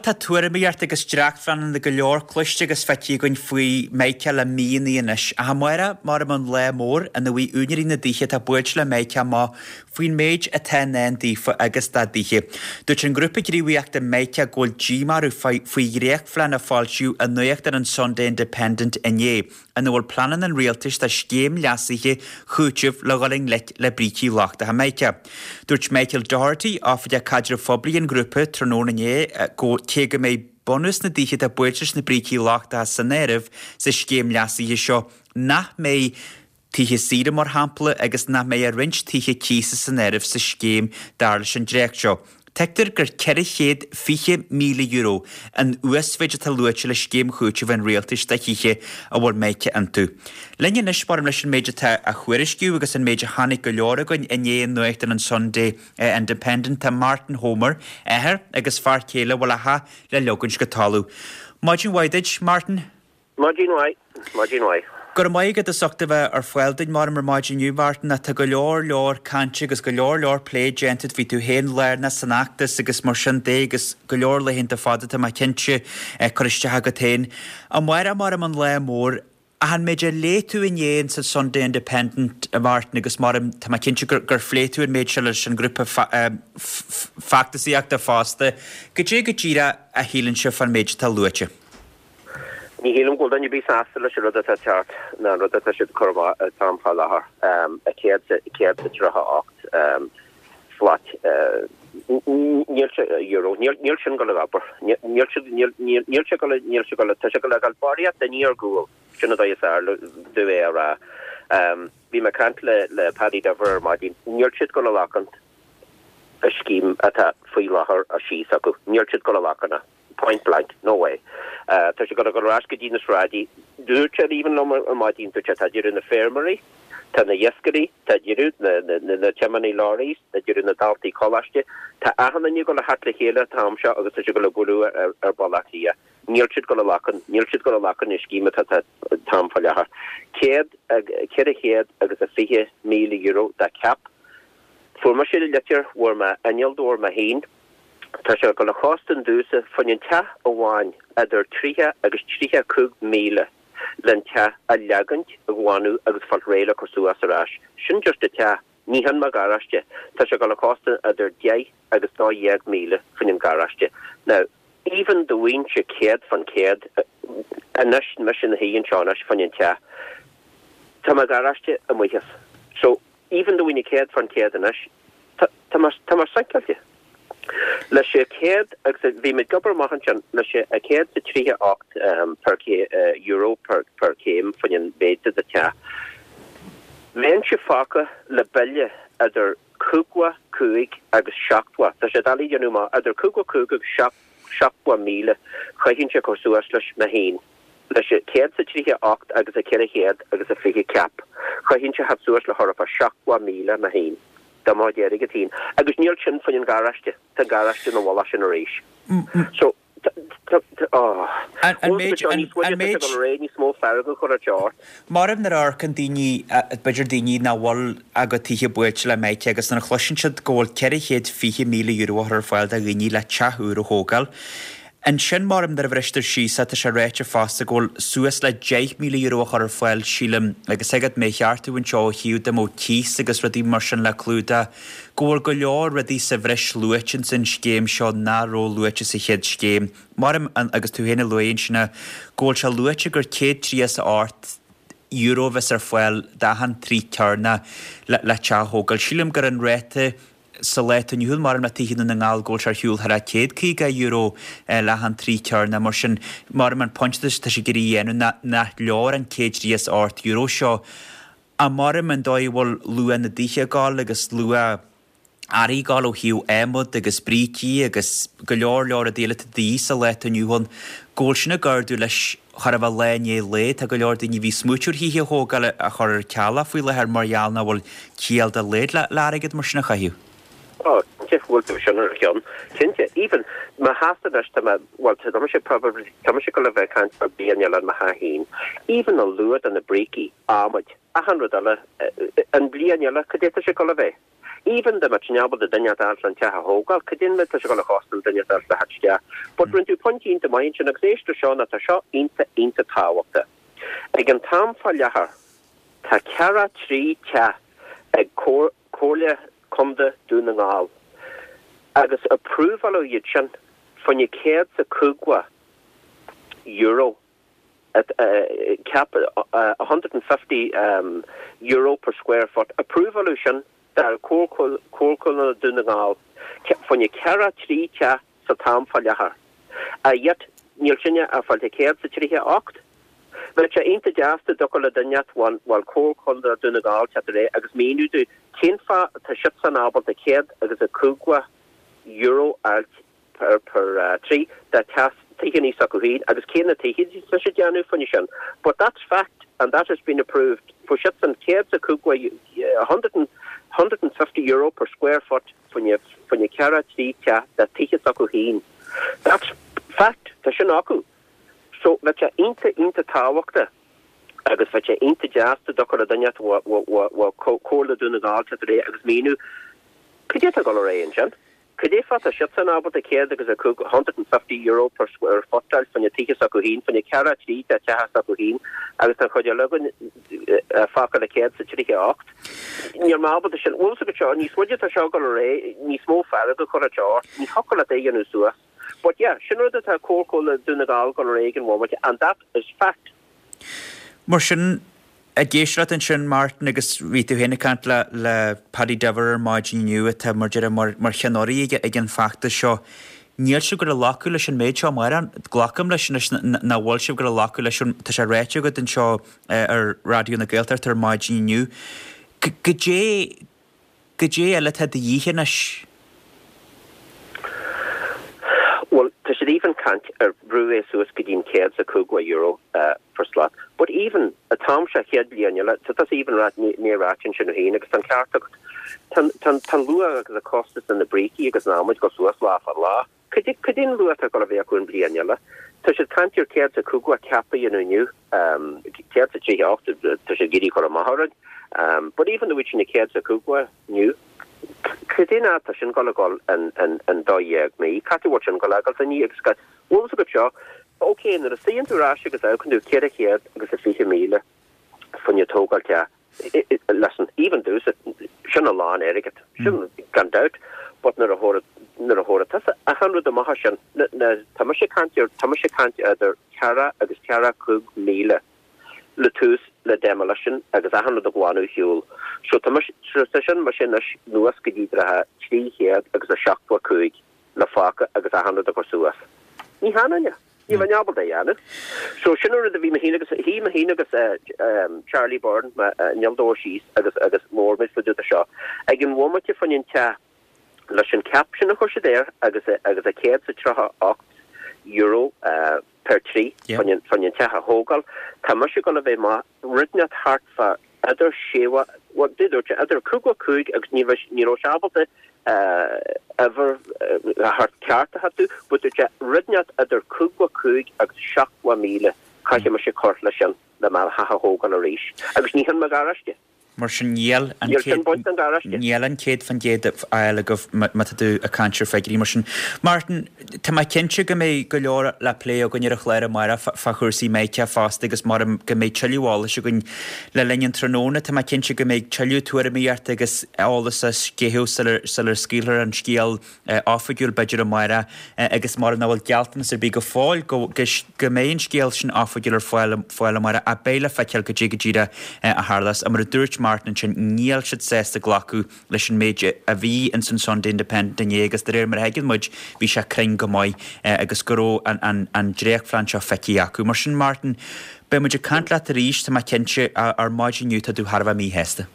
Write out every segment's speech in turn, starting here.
tá tuairimíocht agus dréachtphleananna go leor cloiste agus feicthe againn faoi Meiceá le míonna anois. Ach amárach, maram an lá mór ina bhfaighidh úinéirí na dtithe atá buailte le Meiceá amach faoin méid atá i ndán daofa agus dá dtithe. Dúirt an grúpa gníomhaíochta Meiceá go bhfuil díomá orthu faoi dhréachtphlean a foilsíodh i nuachtán an Sunday Independent inné. ina bhfuil pleananna an rialtais do scéim leasaithe chúitimh le dhul i ngleic le brící lochtacha Meiceá. Dúirt Michael Doherty, Oifigeach Caidrimh Phoiblí an ghrúpa, tráthnóna inné go cé go mbeidh bunús na dtithe atá buailte leis na brící lochtacha san áireamh sa scéim leasaithe seo, nach mbeidh tithe saoire mar shampla agus nach mbeidh ach roinnt tithe cíosa san áireamh sa scéim dar leis an dréacht seo. Tuigtear gur €420,000 an uasmhéid atá luaite le scéim chúitimh an rialtais do thithe a bhfuil Meiceá iontu. Linn anois, maram leis an méid atá á thuairisciú agus an méid a chonaic go leor againn inné i nuachtán an Sunday Independent, tá Martin Homer, athair agus fear céile a bhfuil a theach le leogaint go talamh. Maidin mhaith duit, Martin. Maidin mhaith, maidin mhaith. Go raibh maith agat as ucht a bheith ar fáil duinn maram ar maidin inniu, Martin. Tá go leor leor cainte agus go leor leor plé déanta, bhí tú féin lárnach san fheachtas agus mar sin de agus go leor laethanta fada tá mé cinnte curtha isteach agat féin. Amárach maram an lá mór. Ach an méid a léigh tú inné in sa Sunday Independent, a Mhartin, agus maram tá mé cinnte gur gur phléigh tú an méid seo leis an ngrúpa feachtasaíochta fosta, goidé go díreach a shíleann sibh fán méid atá luaite? Ní shílim go bhfuil duine ar bith sásta leis an rud atá ag teacht ná an rud atá siad ag cur amach an t-am fá láthair, 138 flat níl sé euro, níl sin ag dul ag obair, níl sé níl sé ag dul níl sé ag dul tá sé ag dul a ghabháil barraíocht daoine ar gcúl, sin an dóigh is fearr domh é a rá. Bhí mé ag caint le le Paddy Diver ar maidin, níl siad ag dul a ghlacadh an scéim atá faoi láthair síos acu, níl siad ag dul a ghlacadh. Point blank, no way. Tá sé ag dul a dhul ar ais go dtí na sráidí. Dúirt sé even liom ar maidin, dúirt sé, tá deireadh na feirmeoirí, tá na iascairí, tá deireadh na, na, na tiománaí lorries, tá deireadh na daltaí coláiste, tá achan duine ag dul a theacht le chéile an t-am seo agus tá sé ag dul a bualadh ar, ar Bhaile Átha Cliath. Níl siad ag dul a ghlacadh, níl siad ag dul a ghlacadh na scéime atá an t-am fá láthair. €420,000 dá ceap. Fuair mise litir, fuair m'innealtóir mé féin, Tá sé ag dul a chostain domhsa fá choinne an teach amháin idir 30 agus 35 míle len teach a leagaint, a ghlanadh agus fáilt réidh le cur suas ar ais. Sin just a teach. Ní hin mo gharáiste. Tá sé ag dul a chostain idir 10 agus 12 míle fá choinne an garáiste. Now, even dá bhfaighinnse 100% anois, mise ina shuí anseo anois fá choinne an teach, tá mo gharáiste amuigh as. So, Even dá bhfaighinn 100% anois, tá mé, tá mé sinceáilte. Leis an 100 agus bhí muid ag obair amach ansin, leis an 138 per euro per per céim fá choinne an mhéid de do teach. Bheinnse fágtha le bille idir 55 agus 70, tá sé doiligh a dhéanamh amach, idir 55 agus 70,000 chaithfinnse a chur suas leis mé féin. Leis an 138 agus a 400 agus a 20 ceap, chaithfinnse theacht suas le thart fá 70,000 mé féin, de mo chuid airgid féin. Agus níl sin fá choinne an garáiste, tá an garáiste ina mhullach sin arís. So, tá, tá, tá, oh. An méid, an méid. Tá sé níos mó fearg a chur ar ort. Maram nuair a amharcann daoine, b'fhéidir daoine nach bhfuil a gcuid tithe buailte le Meiceá agus nuair a chloiseann siad go bhfuil €420,000 á chur ar fáil do dhaoine le teach úr a thógáil, Ansin, maram, nuair a bhristear síos é, tá sé ráite fosta go bhfuil suas le €10,000 á chur ar fáil, sílim, agus thig leat mé a cheartú anseo ó thaobh dá mbeadh cíos agus rudaí mar sin le clúdach, go bhfuil go leor rudaí sa bhreis luaite ins an scéim seo nach raibh luaite sa chéad scéim. Maram, agus tú féin a luaigh ansin é, go bhfuil sé luaite gur €138 a bheas ar fáil d'achan troigh cearnach le teach a thógáil. Sílim gur an ráta Sa lá atá inniu ann, maram le tithe i nDún na nGall go bhfuil sé ar shiúl thar €150 le hachan troigh cearnach. Mar sin, maram an pointe atá sé ag iarraidh a dhéanamh ná nach leor an €138 seo. Ach maram an dóigh a bhfuil luach na dtithe ag gabháil agus luach earraí ag gabháil ó thaobh adhmad agus brící agus go leor leor rudaí eile atá de dhíth sa lá atá inniu ann, go bhfuil sin ag ardú leis chóir a bheith lá i ndiaidh lae. Tá go leor daoine a bhí ag smaoitiú ar thithe a thógáil a chur ar ceal faoi láthair mar gheall nach bhfuil ciall dá laghad le airgead mar sin a chaitheamh. Ó, cinnte, bhfuil tú sin ar a cheann. Cinnte, even mo theachsa anois, tá mé, bhuel, tá mise probably, tá mise ag dul a bheith ag caint fá bliain eile ar mo theach féin. Even an luach de na brící, adhmaid, achan rud eile, an bhliain eile, cad é tá sé ag dul a bheith? Even dá mbeadh sinn ábalta duine a fháilt le an teach a thógáil, cad é an méid tá sé ag dul a chostáil duine a fháilt le theacht isteach? But rinne tú pointe iontach maith ansin agus éist leis seo nó tá seo iontach iontach tábhachtach. Ag an t-am fá láthair tá ceathracha 3 teach ag Comhairle Contae Dún na nGall agus approváladh iad sin fá choinne €150 cap €150 per square foot approváladh sin do Comhairle Contae Dún na nGall fá choinne ceathracha 3 teach sa t-am fá láthair. Yet níl sinne ag fáilt 138. Bheadh sé iontach deas dá dtiocfadh le duine inteacht bhuel Comhairle Contae Dún na Ngall teacht ar aghaidh agus míniú dúinn cén fáth atá siadsan ábalta €150 a fháilt per per troigh de teach tithe s'acu féin agus cé na tithe atá siad déanamh fá choinne sin. But that's fact and that has been approved fuair siadsan €150 €150 per square foot fá choinne fá choinne ceathracha 3 teach de tithe s'acu féin. That's fact tá sin acu. So bheadh sé iontach iontach tábhachtach agus bheadh sé iontach deas dá dtiocfadh le duine inteacht ó Comhairle Dún na nGall teacht ar aghaidh agus míniú cad é atá ag dul ar aghaidh ansin. Cad é fáth tá siadsan ábalta 105, €150 per square foot a fháil fá choinne tithe s'acu féin, fá choinne ceathracha 3 de teach s'acu féin agus tá an chuid eile againn fágtha le 138. Níl mé ábalta sin, bhfuil fhios agat seo, níos moille atá seo ag dul ar aghaidh, níos mó fearg a chuirfeadh sé ort, ní thiocfadh leat é a dhéanamh suas. But yeah, sin rud atá Comhairle Dún na nGall ag dul ar aghaidh ag an bhomaite and that is fact. Mar sin, ag éisteacht leat ansin, Martin, agus bhí tú féin ag caint le le Paddy Diver ar maidin inniu atá mar deir mar mar cheann ag an bhfeachtas seo, níl sibh ag gabháil a ghlacadh leis an méid seo amárach. Glacaim leis anois nach bhfuil sibh ag gabháil a ghlacadh leis, tá sé ráite agat anseo ar Raidió na Gaeltachta ar maidin inniu. Goidé Goidé eile atá de dhíth anois? Bhuel, tá siad even caint ar brú é suas go dtí'n €150 per slat. But even, an t-am seo chéad bliain eile, tá tusa even ráit, ní ráite ansin féin agus tá an ceart agat. Tá, tá, tá an luach agus an costas de na brící agus an adhmaid ag dul suas lá fá lá. Cad é an luach atá ag dul a bheith acu an bhliain eile? Tá siad caint ar 150 cap a dhéanamh inniu, 138, tá siad ag iarraidh cur amach orainn. But even though sin 150 inniu, cad é an fhad tá sin ag dul a dhul in 12 mí? Cá bhfuil sin ag dul a ghabháil inniu agus bhfuil fhios agat seo, ok, nuair a suíonn tú ar ais agus amharcann tú 420,000 fá choinne tógáil teach, Listen, even domhsa, sin a lán airgead, sin gan dabht, but nuair a thabharfaidh, nuair a thabharfaidh tusa achan rud amach as sin, na, na, tá mise ag caint ar, tá mise ag caint idir ceathracha agus ceathracha 5,000 le tús le demolition agus achan rud a ghlanadh ar shiúl. So tá mise, so tá sin mise anois anuas go dtí 375 le fágtha agus achan rud a chur suas. Ní hionann é. Ní bheinn ábalta é a dhéanamh. So sin an rud a bhí mé féin agus, shuigh mé féin agus Charlie Byrne, m'innealtóir síos agus agus labhair muid fá dtaobh de seo. Ag an bhomaite fá choinne an teach leis an cap sin a chuir siad air agus agus a €138 per troigh fá choinne fá choinne an teach a thógáil, tá mise ag dul a bheith maith rud inteacht thart fá idir sé, bhuel, dúirt sé idir 55 agus ní raibh, ní raibh sé ábalta uimhir thart ceart a thabhairt, but dúirt sé rud inteacht idir 55 agus 70,000 caithfidh mise cur leis sin le mo theach a thógáil arís. Agus ní hin mo gharáiste. Mar sin níl an Níl sin baint den gharáiste. Níl an 100% á fháil agaibh má tá tú ag caint ar figiúirí mar sin. Martin, tá mé cinnte go mbeidh go leor le plé againn ar an chlár amárach fá chúrsaí Mica fosta agus maram go mbeidh tuilleadh eolais againn le linn an tráthnóna. Tá mé cinnte go mbeidh tuilleadh tuairimíochta agus eolas á sceitheadh sular scaoilfear an scéal oifigiúil b'fhéidir amárach agus maram nach bhfuil gealltanas ar bith go fóill go mbeidh an scéal sin oifigiúil ar fáil fáil amárach ach beidh le feiceáil goidé go díreach a tharlós. Mar a dúirt Martin ansin níl siad sásta glacadh leis an méid a bhí ins an Sunday Independent inné agus de réir mar a thuigeann muid bhí sé cruinn go maith agus go raibh an dréachtphlean seo feicthe acu. Mar sin Martin beidh muid ag caint leat arís tá mé cinnte ar maidin inniu tá tú thar a bheith míshásta.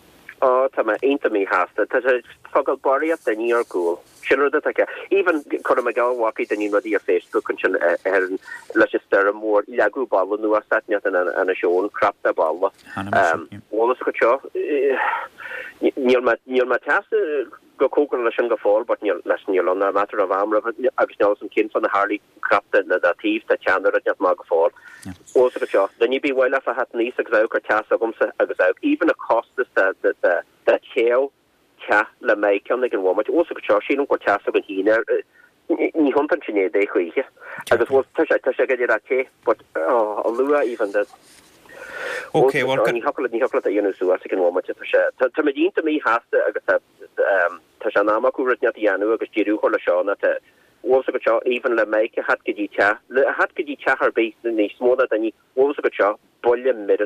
Ó, tá mé iontach míshásta. Tá sé ag fágáil barraíocht daoine ar gcúl. Sin rud atá aici. Even, cuirim i gcás, bhfacaidh daoine rudaí ar Facebook ansin ar an, leis an stoirm mhór, leagadh balla anuas áit inteacht in Inis Eoghain, crap de bhalla. Bhfuil fhios agat seo, níl mé, níl mé teasta go cóngarach leis sin go fóill but níl, leis, níl ann a matter of am roimhe agus níl fhios a'm cén fáth nár tharlaigh crap de na taobh de teann ar rud maith go fóill. Bhfuil fhios agat seo, duine ar bith mhaith leofa theacht aníos agus amharc ar teach s'agamsa agus amharc, even a costas de, de, de, de téamh. teach le mbeadh ann ag an bhomaite. Bhfuil 's agat seo, sílim go bhfuil teach s'againn féin ar, ní thiontaíonn sin é choíche. Agus bhfuil, tá sé, tá sé go dtí te, but, oh, a luath even the, Ok, bhuel, ní thiocfadh leat, ní thiocfadh leat a dhéanamh suas ag an bhomaite, tá sé, tá, táimid iontach míshásta agus tá, tá sé in am acu rud inteacht a dhéanamh agus deireadh a chur leis seo nó tá, bhfuil 's agat seo, even le mbeadh a theacht go dtí teach, le a theacht go dtí teach ar bith, níos mó ná duine, bhfuil 's agat seo, buille mire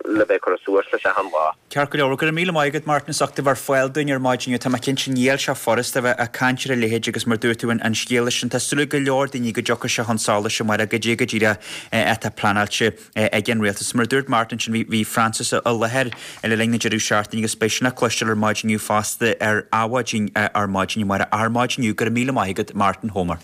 le bheith ag cur suas leis achan lá. Ceart go leor. Go raibh míle maith agat Martin as ucht a bheith ar fáil dúinn ar maidin inniu. Tá mé cinnte níl sé furasta a bheith ag caint ar a leithéid agus mar dúirt tú an scéal sin tá súil ag go leor daoine go dtiocfaidh sé chun solais amárach goidé go díreach atá pleanáilte ag an rialtas. Mar a dúirt Martin ansin bhí bhí Francis i láthair le linn na deireadh seachtaine agus beidh sin le cloisteáil ar maidin inniu fosta ar Adhmhaidin ar maidin amárach. Ar maidin inniu go raibh míle maith agat Martin Homer.